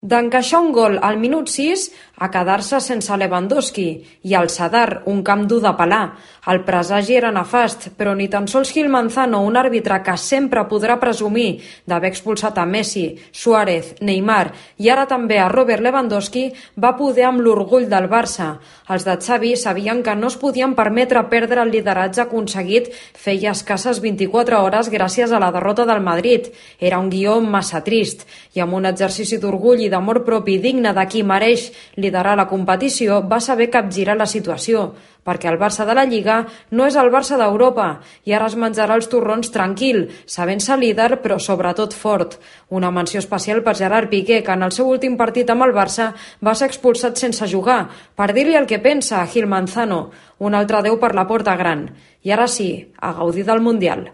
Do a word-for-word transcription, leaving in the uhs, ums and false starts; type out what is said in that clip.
D'encaixar un gol al minut sis a quedar-se sense Lewandowski i al Sadar, un camp dur de pelar. El presagi era nefast, però ni tan sols Gil Manzano, un àrbitre que sempre podrà presumir d'haver expulsat a Messi, Suárez, Neymar i ara també a Robert Lewandowski, va poder amb l'orgull del Barça. Els de Xavi sabien que no es podien permetre perdre el lideratge aconseguit feia escasses vint-i-quatre hores gràcies a la derrota del Madrid. Era un guió massa trist i amb un exercici d'orgull i d'amor propi digne de qui mereix liderar la competició, va saber capgirar la situació, perquè el Barça de la Lliga no és el Barça d'Europa i ara es menjarà els torrons tranquil, sabent-se líder però sobretot fort. Una menció especial per Gerard Piqué, que en el seu últim partit amb el Barça va ser expulsat sense jugar, per dir-li el que pensa a Gil Manzano, un altre adeu per la porta gran. I ara sí, a gaudir del Mundial.